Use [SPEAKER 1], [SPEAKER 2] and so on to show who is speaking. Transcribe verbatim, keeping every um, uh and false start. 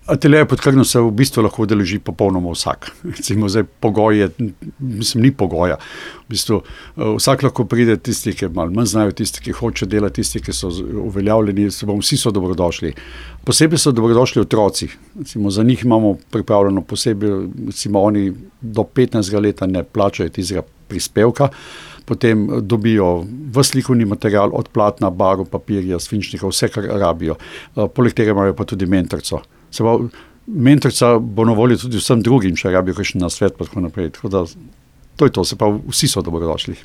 [SPEAKER 1] Ateljeja Pod Krno se v bistvu lahko udeleži popolnoma vsak. Recimo zdaj pogoj je, mislim, ni pogoja. V bistvu vsak lahko pride, tisti, ki malo manj znajo, tisti, ki hoče delati, tisti, ki so uveljavljeni, vsi so dobrodošli. Posebej so dobrodošli otroci. Recimo za njih imamo pripravljeno posebej, recimo oni do petnajstega leta ne plačajo tistega prispevka, potem dobijo ves likovni material od platna, barv, papirja, svinčnika, vse, kar rabijo. Poleg tega imajo pa tudi mentorico. Se pravi, mentorica bo na voljo tudi vsem drugim, če rabijo kakšen nasvet, pa tako naprej. Tako da, to je to, se pravi, vsi so dobrodošli.